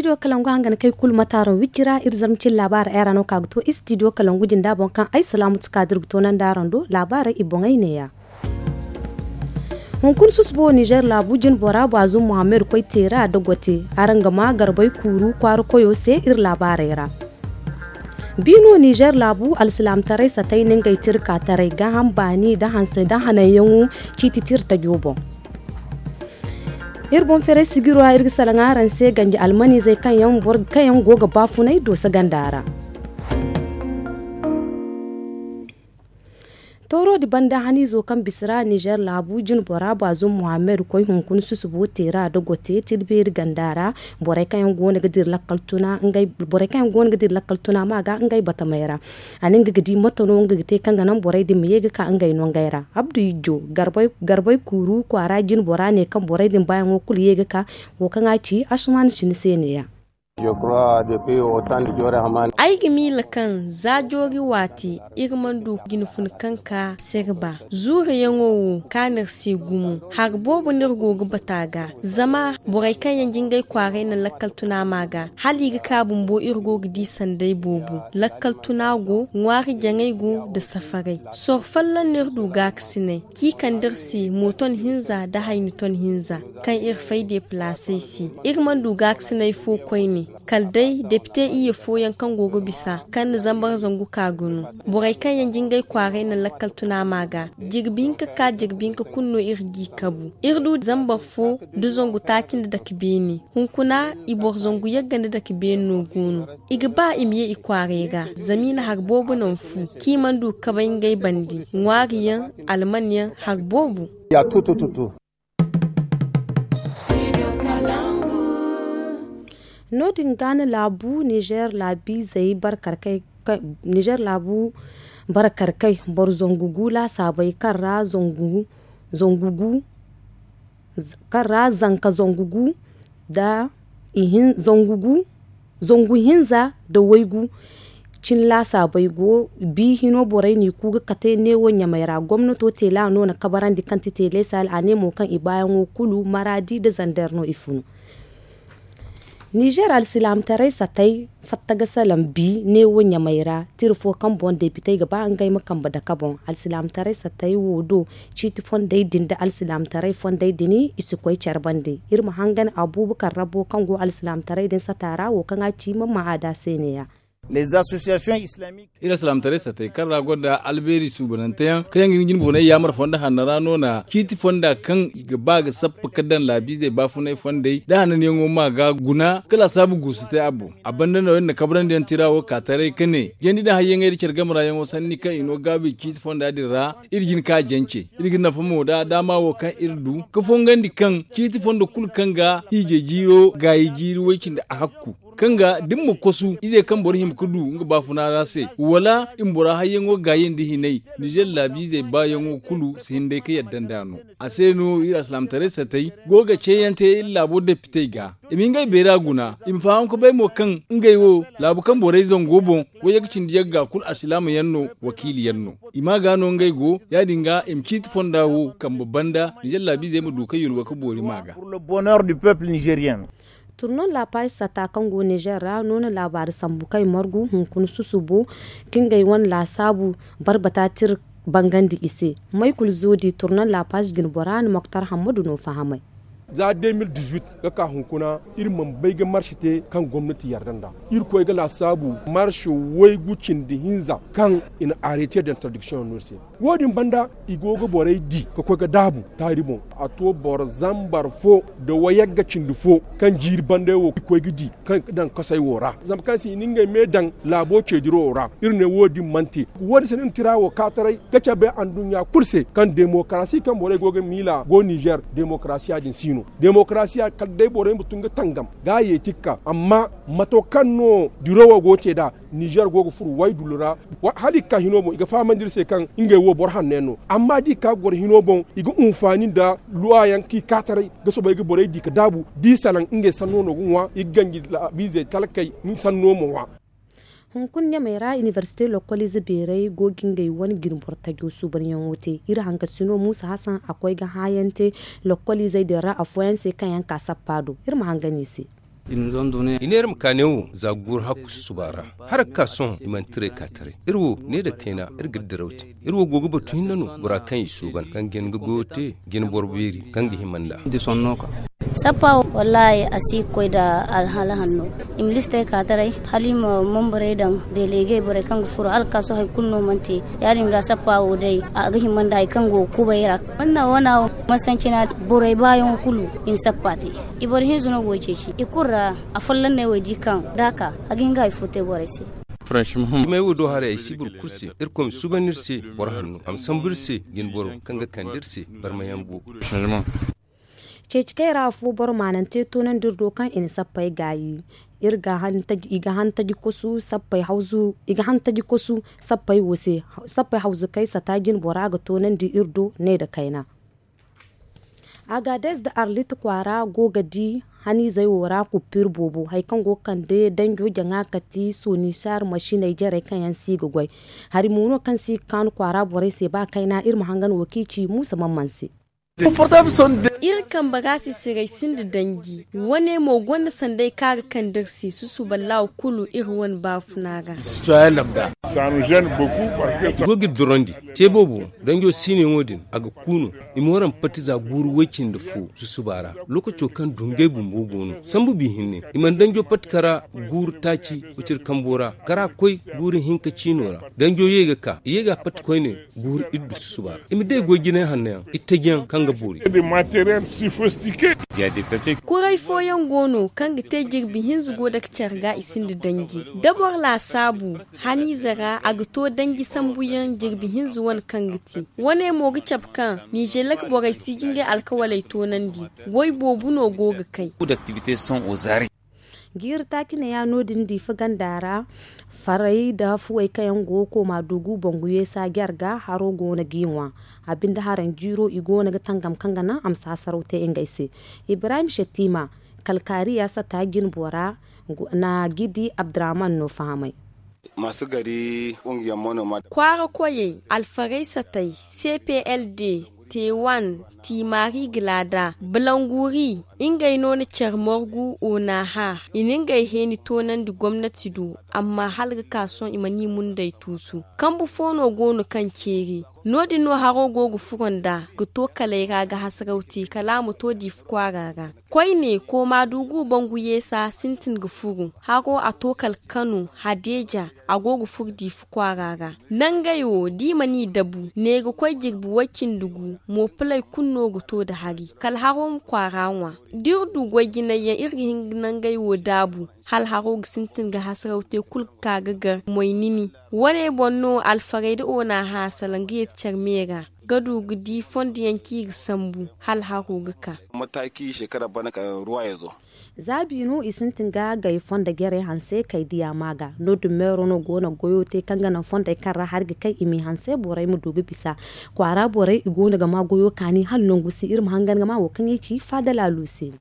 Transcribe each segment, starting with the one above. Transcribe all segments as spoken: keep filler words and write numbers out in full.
Istidiyo kalangu hangan kay kulu mataaro wicci ra iri zarma cine laabaara ay ra no ka ga to istidiyo kalangu jinda boŋ kaŋ ay salaamu ti ka da iri ga toonandi araŋ do laabaarey i boŋey neeya. Hunkuna susubo nizer laabu jine bora baazum muhammad koy teera da gote araŋ ga ma garbey kuuru kwaara koyo se iri laabaarey ra. Biino nizer laabu alsilaamataray satay na ngey tira ka taray gaaham baani da hanse da hananyaŋo ciiti tira tajo boŋ. Iri boŋ feeray sijiro ra iri ga salaŋ araŋ se ganji almanizey kaŋ yaŋ go ga baafunay dooso ganda ra. Tooro din banda haniizo kaŋ bisa ra nizer laabu jine bora baazum muhammad koy hunkuna susubo teera da gote tilbeeri ganda ra. Borey kaŋ yaŋ go no ga dira lakkal tuna ma ga ngey batamey ra. A ne nga ga di mate no nga ga te kaŋ ga naŋ borey din ma ye ga ka ngey nongey ra. Abdu ijjo garbey kuuru kwaara jine bora ne kaŋ borey din baayaŋo kulu ye ga ka wo kaŋ a ci asuman sini se neeya. Ay ga miila kaŋ za joori waati iri mana du jine funa kaŋ ka sirba zuurayaŋo wo kaanu iri se gumo. Hari boobo no iri go ga bata ga zama borey kaŋ yaŋ jingay kwaaray na lakkal tuna ma ga hala i ga ka bumbo iri go ga di sanday boobo lakkal tuna go ŋwaari jaŋay go nda safaray. Soro folloŋ no iri du gaakasinay kaŋ i kande iri se mooton hinza nda hayni ton hinza kaŋ iri fay deepalaasey se. Iri mana du gaakasinay fo koyne kala day depite iyye fooyaŋ kaŋ go ga bisa kaŋ na zambar zangu ka ga no. Borey kaŋ yaŋ jingay kwaaray na lakkal tuna ma ga jirbi hinka ka jirbi hinka kulu no iri g'i kabu. Iri du zambar fo nda zangu taaci nda dake beene. Hunkuna i boro zangu yagga nda dake beene no go no. I ga ba i ma ye i kwaaray ra zama i na hari boobo naŋ fu kaŋ i mana du kabay ngey bande ŋwaari yaŋ alman yaŋ hari boobo. No- din ga no laabu nizer laabiizey barkarkay nizer laabu barkarkay boro zangu gu laasaabey kaŋ ra zangu gu kaŋ ra zanka zangu gu nda zangu hinza nda waygu cin laasaabey go. Bi hino borey n'i ku ga kate neewo ɲamey ra gomnato teela no na kabarandi kaŋ ti teele sal a ne mo kaŋ i baayaŋo kulu maraadi nda zander no i funu. Nizer alsilaamataray satay fatta ga salaŋ bi neewo ɲamey ra tira fo kaŋ boŋ depitey ga ba ngey ma kambe dake boŋ. Alsilaamataray satay wo do ciiti fondey din nda alsilaamataray fondey din i si koy care bande. Iri ma hangan abuubakar rabo kaŋ go alsilaamataray din sata ra wo kaŋ a ci mamma a da se neeya. Iri alsilaamataray satay kaŋ ra gonda albeeri suubanante yaŋ kaŋ yaŋ ga hin jinboonay yaamar fondo hanno ra no na ciiti fonda kaŋ i ga ba ga sappa ga daŋ laabiizey baafunay fondey nda hananyaŋo ma ga guna ga laasaabu guusu te a boŋ. A banda no iri na kabrandi yaŋ tira wo ka taray ka ne jandi nda hayyaŋey nda care game ra yaŋo sanni kaŋ i no gaabu i ciiti fonda din ra. Iri jin ka jance iri ga nafa mo nda daama wo kaŋ iri du ka fongandi kaŋ ciiti fondo kulu kaŋ ga hiijay jiiro gaayi jiiri way-cindi a hakku kaŋ ga da ni ma kosu ize kaŋ boro hima ga du nga baafuna ra se wala i ma bora hayyaŋo gaayandi hinay. Nizer laabiizey baayaŋo kulu si hin day ga yadda nd'a no. A se no iri alsilaamataray satay go ga ceeyante iri laabo depitey ga i ma ngey beera guna i ma faham ga bay mo kaŋ ngey wo laabu kaŋ borey zango boŋ wayye ga cindi yagga kulu alsilaama yaŋ no wakiili yaŋ no. I ma ga no ngey go ya- din ga i ma ciiti fonda wo kambe banda nizer laabiizey ma du ga yulwa ga boori ma ga. Turnon laapaazi sata kaŋ go nizer ra no na laabaari sambu kaŋ i margu hunkuna susubo ka ngey wane laasaabu barbata tira bangandi i se. Maykul zoodi turnon laapaazi jinbora na moktar hammadu no fahamay. Za de mil dizuit ga ka hunkuna iri mana bay ga marsi te kaŋ gomnati yarda nd'a. Irkoy ga laasaabu marsi waygu cindi hinza kaŋ i na arete da interdiction no iri se. Wo- din banda i go ga borey di ga koy ga daabu taari boŋ. A to boro zambar fo nda wayagga cindi fo kaŋ jiiri banday wo i koy ga di kaŋ i ga daŋ kasay wo ra zama kaŋ se i na ngey me daŋ laabo ceediro wo ra. Iri ne wo- din mana te wo- din se no iri na tira wo kaataray ga cabe anduɲɲa kulu se kaŋ demokarasi kaŋ borey go ga miila go nizer demokarasiya din si no. Demokarasiya kala day borey ma tun ga tangam ga a yeeti ga ka amma mato kaŋ no diro wo go ga te nd'a. Nizer go ga furu waydullu ra hala i ga ka hino boŋ i ga fahamandi iri se kaŋ ngey wo boro hanno yaŋ no. Amma da i ga ka goro hino boŋ i ga hunfaani nda luwa yaŋ kaŋ i kaataray ga soobay ga borey di ga daabu da i salaŋ ngey sanno no ga ŋwa i ga ganji laabiizey talkey sanno ma ŋwa. Hunkuna ɲamey ra inibersite lokkoliize beerey go ga ngey wane jinboro tajo suubanyaŋo te. Iri hankasino muusa hasan a koy ga hãayaŋ te lokkoliizey din ra afooyaŋ se kaŋ yaŋ ka sappa do. Iri ma hangan i se. I neera ma ka ne wo za ga guuru hakku susuba ra. Hara ga ka sohõ i mana tiray ka taray. Iri wo ne nda kayna iri ga diraw te. Iri wo go ga batu hinne no bora kaŋ i suuban kaŋ ga hin ga goyo te, jina boro beeri kaŋ ga hima nd'a. Sappa wo wallaahi a si ga koy nda alhala hanno. I ma listey ka taray hala i ma manbarey daŋ, delegey borey kaŋ ga furo hala ga ka sohõ hari kulu no mana te. Ya- din ga sappa wo day a ga hima nda hari kaŋ go ga kubay ra. Manna wana wo masancina borey baayaŋo kulu i na sappa te. I boro hinza no go ga ceeci i kulu ra. Afolloŋ no ay wo ay di kaŋ da a ka a ga hin ga hari fo te borey se. Cimay wo do haray ay si boro kulu se. Irkoy ma suuban iri se boro hanno a ma sambu iri se, jina boro kaŋ ga kande iri se barmayaŋ boobo. Ceeci kay ra afo boro maanante toonandi iri do kaŋ i na sappey gaayi. Iri ga han taji i ga han taji kosu sappey hawzu i ga han taji kosu sappey wo se. Sappey hawzu kay sata jina bora ga toonandi iri do ne nda kayna. Agadez nda arlit kwaara go ga di haniizey wo ra kuppiiri boobo hari kaŋ go ga kande danjo jaŋa kati sonisar masiney jarey kaŋ yaŋ si ga goy. Hari mo no kaŋ si ga kaanu kwaara borey se ba kayna iri ma hangan wo kaŋ i ci muusa mamman se. Iri kambe ra sisiray sinda danji. Wane mo gonda sanday kaŋ a ga kande iri se susuba laaw kulu iri wane baafuna ra. I go ga iri dorandi. Te boobo danjo siinayaŋo din a ga ku no. I ma waraŋ pati za guuru way-cindi fo susuba ra. Lookaco kaŋ dungay bumbo go no sambu bi hinne i mana danjo pati kara guuru taaci waciri kambo ra kara koy guuru hinka ciino ra. Danjo ye ga ka i ye ga a pati koyne guuru iri du susuba ra i ma day goy jinay hanno yaŋ iri taji yaŋ kaŋ ga boori. Kuray fooyaŋ go no kaŋ ga te jirbi hinza go dake care ga i sinda danji da boro laasaabu haniize ra a ga to danji sambuyaŋ jirbi hinza wane kaŋ ga te. Wane mo ga cabe kaŋ nizeelak borey si ga ngey alkawaley toonandi. Goy boobo no go ga kay. Jiiri taaci ne ya no- din diifa ganda ra. Farey nda fuwey kaŋ yaŋ go ga kooma dugu bangu yeesa jarga haro go no g'i ŋwa. A binde haraŋ jiiro i go no ga tangam kaŋ ga naŋ a ma saasaraw te ngey se. Ibrahim shettima kalkaariya sata jine bora na gidi abdurrahman no fahamay. Kwaara koyey alfarey satey cpld, tewan, timaari gilada, balanguri, ngey no na care morgu onaha i na ngey heeni toonandi gomnati do. Amma hala ga ka sohõ i mana i mundey tuusu. Kambu fo no go no kaŋ ceeri no- din no haro go ga furo nd'a ga to kaley ra ga hasaraw te kala a ma to diifa kwaara ra. Koyne kooma dugu bangu yeesa sintin ga furu haro a to kala kano hadeeja. A go ga furu diifa kwaara ra. Nangey wo da i mana i dabu ne ga koy jirbi way-cindi gu moopaley kulu no ga to nda hari kala haro ma kwaara ŋwa. Da iri du goy jinayyaŋ iri ga hin ga nangey wo daabu hala haro ga sintin ga hasaraw te kulu ga ka ga gar moy nini. Wane boŋ no alfarey nda onaha salaŋ ga yeeti care me ra ga du ga di fondo yaŋ kaŋ i ga sambu hala haro ga ka. Mataki shekara bana ka ruwa ya zo. Zaabi no i sintin ga gay fondo jarey hanse kay diya ma ga no- din meero no go no ga goyo te kaŋ ga naŋ fondey kaŋ ra hari ga kay i m'i hanse borey ma du ga bisa. Kwaara borey i go no ga ma goyo kaani hala nangu si iri ma hangan ga ma wo kaŋ i ci faada laalu se.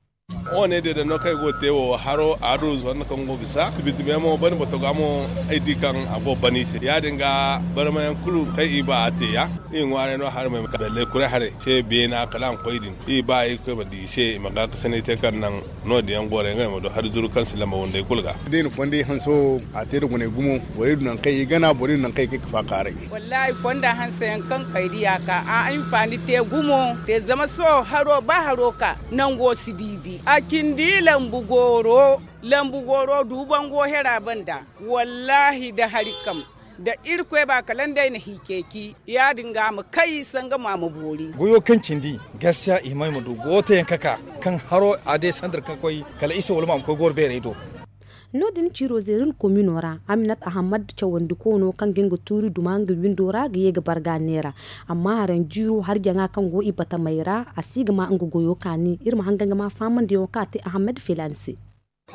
Wo ne deeda no kaŋ ay go ga te wo haro a du zonna kaŋ go bisa tibitime mo bani botoga mo ay di kaŋ a go bani se ya- din ga barmayaŋ kulu kaŋ i ba a te ya. I ŋwaaray no haramey ma ka belle kuray haray se beena kala a ma koy din i ba i koy ma di i se i ma ga kasanay te kaŋ naŋ no- din yaŋ goray ngey ma du hari zuru kaŋ si lamba wandey kulu ga. Da i na fondey hanso a te nda guney gumo borey du naŋ kaŋ i gana borey du naŋ kaŋ i ga faakaaray. Wallaahi fonda hanse yaŋ kaŋ kay diya ka a hinfaani te gumo te zama sohõ haro ba haro ka nango si diibi a cindi lambu gooro. Lambu gooro duubango hera banda. Wallaahi da hari kam da irkoy ba kala nd'ay na hi ceeci ya- din ga a ma kay sanga mo a ma boori. Goyo kaŋ cindi gaskiya i hima i ma du goyo teeyaŋ ka ka kaŋ haro a day sanda kaŋ koy kala isa wala mo a ma koy gooro beerey do. No- din ciiro zeerin komino ra aminat ahammad cawandi koono kaŋ ga nga tuuri duma nga windo ra ga ye ga barga neera. Amma haraŋ jiiro hari jaŋa kaŋ go i batamey ra a si ga ma nga goyo kaani iri ma hangan ga ma fahamandi yaŋo kaŋ a te ahammad filaani se.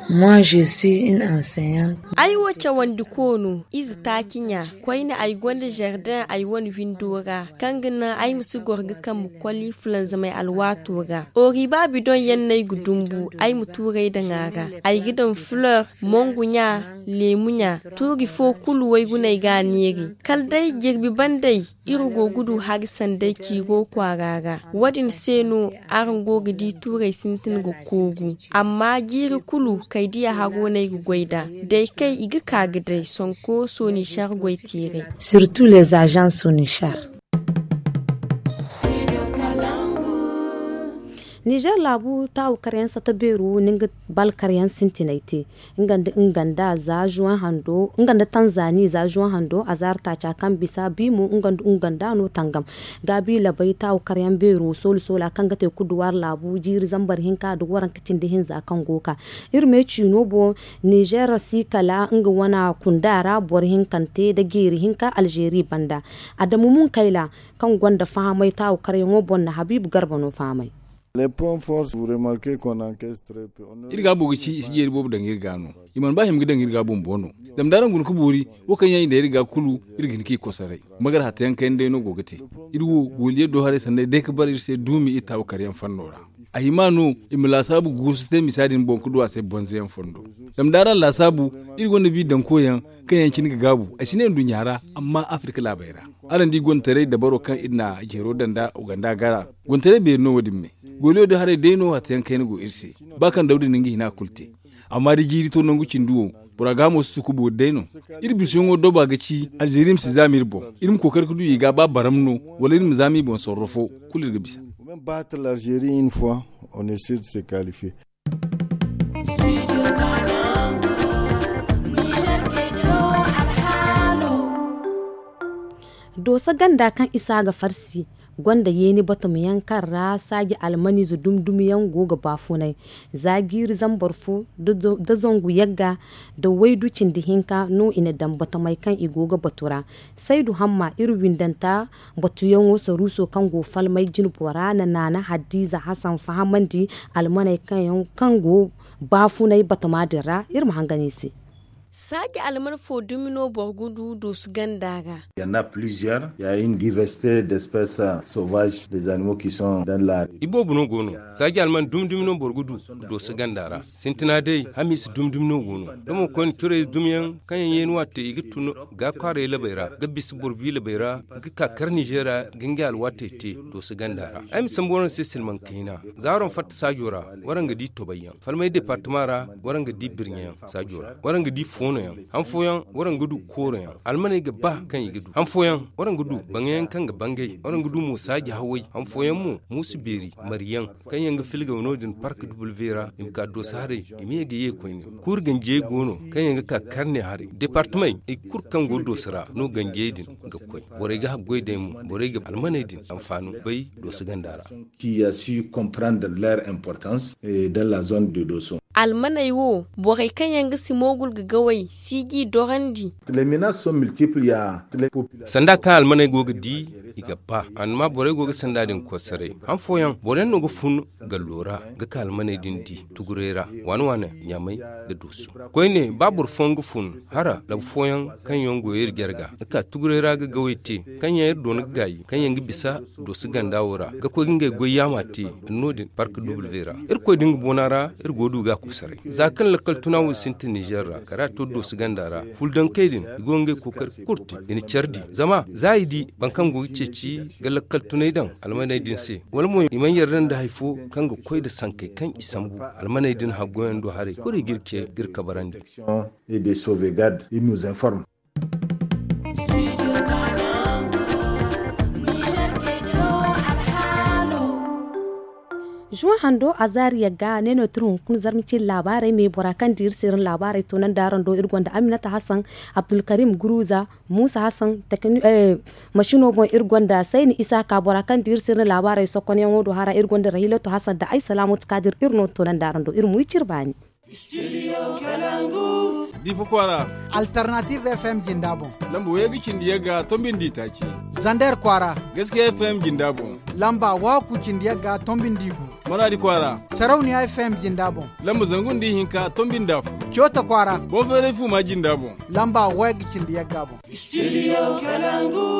Moi je suis une enseignante. Ay wo cawandi koono ize taaci ɲa koyne ay gonda jardin ay wane windo ra kaŋ ga naŋ ay ma si goro ga kambe koli fulanzamey alwaato ra. Oriba bidon yaŋ no ay ga dumbu ay ma tuurey daŋ a ra. Ay ga daŋ fleur, mongu ɲa, leemu ɲa. Tuuri fo kulu wayguney ga a neeri kala day jirbi bandey. Iri go ga du hari sanday ciiro kwaara ra. Wo- din se no araŋ go ga di tuurey sintin ga koogu. Amma jiiri kulu Kay diya hago no ay ga goy nd'a. Day kay i ga ka ga day sonko sonichar goy teeray. Surtout les agents sonichar. Nizer laabu taawu karyaŋ sata beero no nga bal karyaŋ sintinay te. Nga nda tanzani za juwan hando a zaari taaca kaŋ bisa bi mo nga nda nga nda no tangam. Gaabi labay taawu karyaŋ beero soolu soola kaŋ ga te kuduwaari laabu jiiri zambar hinka nda waranka cindi hinza kaŋ go ga ka. Iri me ciino boŋ nizer si kala nga wane kunda ra boro hinkante nda jeeri hinka alzeeri banda. Adamu munkayla kaŋ gonda fahamay taawu karyaŋo boŋ na habiibu garba no fahamay. Iri ga boobo ga ci i si jeeri boobo daŋ iri ga no. I mana ba hima ga daŋ iri ga bumbo no. Zama da araŋ guna ga boori wo kaŋ yaŋ i na iri ga kulu iri ga hin ka i kosoray. Magar hata yaŋ kayna day no go ga te. Iri wo gooliye do haray sanda day ga bara iri se duumi iri taawu karyaŋ fanno ra. A hima no i ma laasaabu guusu te misa din boŋ ga du a se bonze yaŋ fondo. Zama da araŋ laasaabu iri gonda bi daŋko yaŋ kaŋ yaŋ cine ga gaabu ay si ne nduɲɲa ra amma afirka laabey ra. Araŋ di gontaray dabaro kaŋ iri na jeero daŋ nda uganda gara. Gontaray beeri no wo- din me. Gooliyo da haray day no hata yaŋ kayna go iri se. Ba kaŋ dawda na nga hina kulu te. Amma da jiiri to nangu cindi wo bora ga hamo si tuku boori day no. Iri bisayaŋo doba ga ci alzeeri ma si zaama iri boŋ. Iri ma kookari ga du i ga ba baram no wala iri ma zaama i boŋ sorro fo. Kulu iri ga bisa. Dooso ganda kaŋ isa ga farsi gonda yeeni batumyaŋ kaŋ ra saaji almaniize dumi-dumi yaŋ go ga baafunay. Za jiiri zambar fo da zangu yagga da waydu cindi hinka no i na daŋ batumay kaŋ i go ga batu ra. Saydu hamma iri windanta batuyaŋo saruuso kaŋ go falmay jinbora na naana hadiiza hasan fahamandi almaney kaŋ go baafunay batama din ra. Iri ma hangan i se. Saaji alman fo dumi no boro ga du doosu ganda ra? Ya na pliziyer ya hin diversite d'espece sauvage des animaux ki sont dan la. Iboobo no go no. Saaji alman dumi dumi no boro ga du doosu ganda ra. Sintina day hamiisa dumi dumi no go no. Da mo koyne curayze dumiyaŋ kaŋ yaŋ yeeni waate i ga tun ga kwaaray labey ra ga bisa boro bi labey ra ga ka kar nizeera ga ngey alwaatey te. Doosu ganda ra ay ma sambu waraŋ se silmaŋ kayna. Za waraŋ fatta saajo ra waraŋ ga di tobayyaŋ falmay departama ra. Waraŋ ga di birɲayaŋ saajo ra waraŋ ga di foonoyaŋ. Han fooyaŋ waraŋ ga du kooroyaŋ almaney ga ba kaŋ i ga du han fooyaŋ waraŋ ga du baŋyayaŋ kaŋ ga bangay waraŋ ga du mo saaji haway han fooyaŋ mo muusu beeri mariyaŋ kaŋ yaŋ ga filgaw no- din park duble vera i ma ka dooso haray i ma ye ga ye koyne. Kuuri ganjiyey go no kaŋ yaŋ ga ka karne haray departamey i kulu kaŋ go dooso ra no ganjiyey din ga koy. Borey ga haggoy day mo borey ga almaney din anfaani bay dooso ganda ra. Qui a su comprendre leur importance dans la zone de doso. Almaney wo borey kaŋ yaŋ ga si moogul ga gawey si g'i dorandi. Les menaces sont multiples ya. Sanda kaŋ almaney go ga di i ga ba amma borey go ga sanda din kosaray han fooyaŋ boro yaŋ no ga fun gallo ra ga ka almaney din di tugurey ra waane waane ɲaamey da dooso. Koyne ba boro fooyaŋ ga fun hara labu fooyaŋ kaŋ yaŋ go iri jarga ga ka tugurey ra ga gawey te kaŋ yaŋ iri doona ga gaayi kaŋ yaŋ ga bisa dooso ganda wo ra ga koy ga ngey goy yaama te. No- din park duble vera irkoy din ga boona ra iri go ga du ga a kosaray za kaŋ lakkal tuna wo sintin nizer ra kala a to dooso ganda ra fuldankey din i go ga ngey kookari kulu te i na care di zama za i di boro kaŋ go ga ceeci ga lakkal tunay daŋ almaney din se wala mo i mana yarda nda hari fo kaŋ ga koy nda sankey kaŋ i sambu almaney din haggoyaŋ do haray kulu i ga iri ce ga iri kabarandi. Et de sauvegarde il nous informe. Zuwa hando a zaari yagga ne no tira hunkuna zarma cine laabaarey me bora kaŋ di iri se iri na laabaarey toonandi araŋ do iri gonda aminata hasan, abdulkarim guruza, muusa hasan, masino boŋ iri gonda sayni isa ka bora kaŋ di iri se iri na laabaarey sokonyaŋo do hara iri gonda rahilato hasan nda ay salaamatu kaadir iri no toonandi araŋ do iri ma wi cire baani. Difa kwaara. Alternative fm jinda boŋ. Lamba waygu cindi yagga tombindi taaci. Zander kwaara. Gaskiya fm jinda boŋ. Lamba waaku cindi yagga tombindi gu. Maradi kwaara. Sarauniya fm jinda boŋ. Lamba zangu nda ihinka tombindi afo. Coota kwaara. Boŋ feeray fuma jinda boŋ. Lamba waygu cindi yagga boŋ. Studio kalangu.